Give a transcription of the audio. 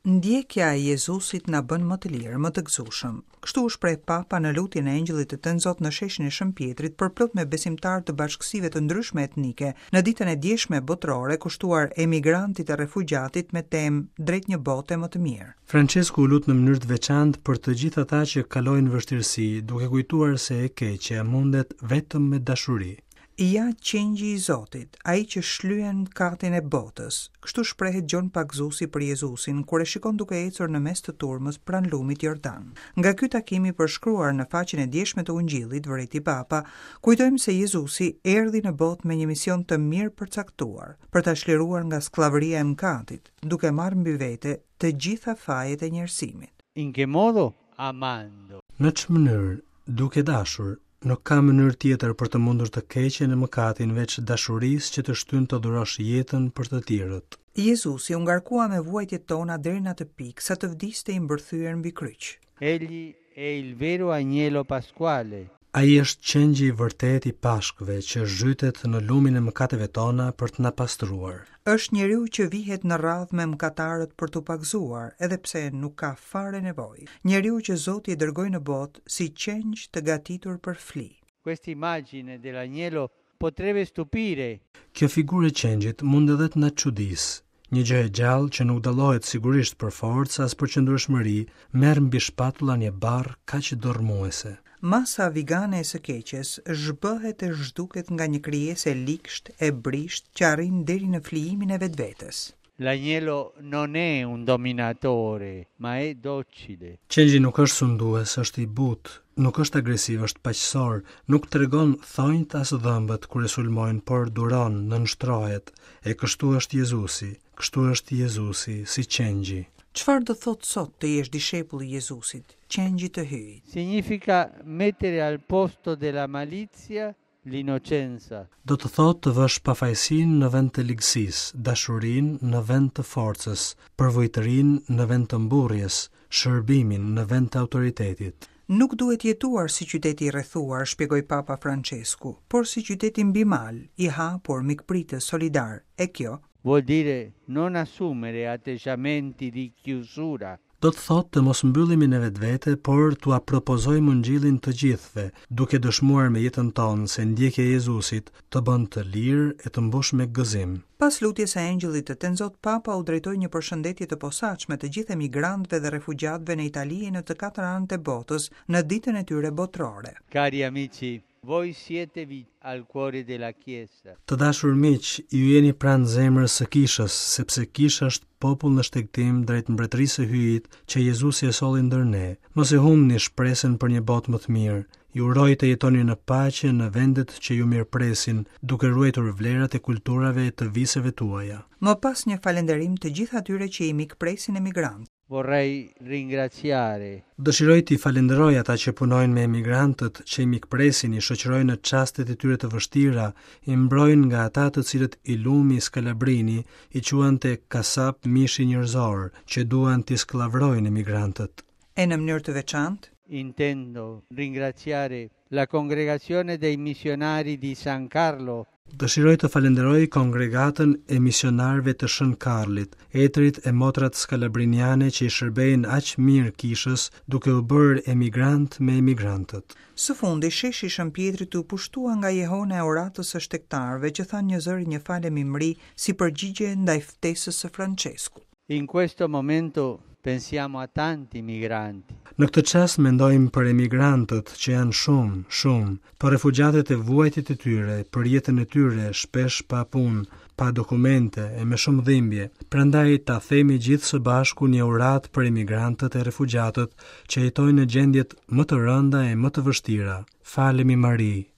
Ndjekja e Jezusit na bën më të lirë, më të gëzueshëm. Kështu u shpreh Papa në lutjen e Engjëllit të Tënzot në sheshin e Shën Pjetrit përplot me besimtarë të bashkësive të ndryshme etnike, në ditën e djeshme botërore kushtuar emigrantit e refugjatit me temë Drejt një bote më të mirë. Françesku u lut në mënyrë të veçantë për të gjithë ata që kalojnë vështirësi, duke kujtuar se e keqja mundet vetëm me dashuri. Ja qengji i Zotit, ai që shlyen mëkatin e botës. Kështu shprehet Gjon Pagëzuesi për Jezusin, kur e shikon duke ecur në mes të turmës pranë lumit Jordan. Nga ky takim i përshkruar në faqen e djeshme të Ungjillit, vërejti Papa, kujtojmë se Jezusi erdhi në botë me një mision të mirëpërcaktuar, për ta çliruar nga skllavëria e mëkatit, duke marrë mbi vete të gjitha fajet e njerëzimit. In che modo? Amando. Në ç'mënyrë? Duke dashur. Nuk ka mënyrë tjetër për të mundur të keqen e mëkatin veç dashurisë që të shtyn të dhurosh jetën për të tjerët. Jezusi u ngarkua me vuajtjet tona deri në atë pikë sa të vdiste i mbërthyer mbi kryq. Egli è il vero agnello pasquale. Ai është qengji i vërtetë i Pashkëve që zhytet në lumin e mëkateve tona për të na pastruar. Është njeriu që vihet në radhë me mëkatarët për t'u pagëzuar, edhe pse nuk ka fare nevojë. Njeriu që Zoti e dërgoi në botë si qengj të gatitur për fli. Questa immagine dell'agnello potrebbe stupire. Kjo figurë e qengjit mund edhe të na çudisë. Një gjë e gjallë që nuk dallohet sigurisht për forcë as për qëndrueshmëri, merr mbi shpatulla një barrë kaq dërrmuese. Masa vigane e së keqes zhbëhet e zhduket nga një krijesë e ligshtë, e brishtë që arrin deri në flijimin e vetvetes. L'agnello non è un dominatore, ma è docile. Qengji nuk është sundues, është i butë, nuk është agresiv, është paqësor, nuk tregon thonjtë as dhëmbët kur e sulmojnë, por duron, nënshtrohet. E kështu është Jezusi, kështu është Jezusi, si qengji. Çfarë do thotë sot të jesh dishepull i Jezusit, qengjit të Hyjit? Significa mettere al posto della malizia l'innocenza. Do të thotë të vësh pafajësinë në vend të ligësisë, dashurinë në vend të forcës, përvujtërinë në vend të mburrjes, shërbimin në vend të autoritetit. Nuk duhet jetuar si qyteti i rrethuar, shpjegoi Papa Françesku, por si qyteti mbi mal, i hapur, mikpritës, solidar. E kjo, Vuol dire non assumere atteggiamenti di chiusura. Do të thotë të mos mbyllemi në vetvete, por t'ua propozojmë Ungjillin të gjithëve, duke dëshmuar me jetën tonë se ndjekja e Jezusit të bën të lirë e të mbush me gëzim. Pas lutjes së Engjëllit të Tënzot, Papa u drejtoi një përshëndetje të posaçme të gjithë emigrantëve dhe refugjatëve në Itali e në të katër anët e botës në ditën e tyre botërore. Cari amici, voi siete vi al cuore della Chiesa. Të dashur miq, ju jeni pranë zemrës së Kishës, sepse Kisha është popull në shtegtim drejt mbretërisë së Hyjit që Jezusi e solli ndër ne. Mos e humbni shpresën për një botë më të mirë. Ju uroj të jetoni në paqe në vendet që ju mirëpresin, duke ruajtur vlerat e kulturave e të viseve tuaja. Më pas një falënderim të gjithë atyre që i mikpresin emigrantët. Vorrei ringraziare. Dëshiroj t'i falënderoj ata që punojnë me emigrantët, që i mikpresin, i shoqërojnë në çastet e tyre të vështira, i mbrojnë nga ata të cilët i lumi Skalabrini i quante kasap mishi njerëzor, që duan t'i skllavërojnë emigrantët. E në mënyrë të veçantë? Intendo ringraziare la Congregazione dei Missionari di San Carlo. Dëshiroj të falënderoj Kongregatën e Misionarëve të Shën Karlit, etërit e motrat skalabriniane që i shërbejnë aq mirë Kishës duke u bërë emigrantë me emigrantët. Së fundi, sheshi i Shën Pjetrit u pushtua nga jehona e uratës së shtegtarëve që thanë njëzëri një Falemi Mri si përgjigje ndaj ftesës së Françeskut. In questo momento pensiamo a tanti migranti. Në këtë çast mendojmë për emigrantët që janë shumë, shumë, për refugjatët e vuajtjet e tyre, për jetën e tyre, shpesh pa punë, pa dokumente e me shumë dhimbje. Prandaj ta themi gjithë së bashku një uratë për emigrantët e refugjatët që jetojnë në gjendjet më të rënda e më të vështira. Falemi Mari.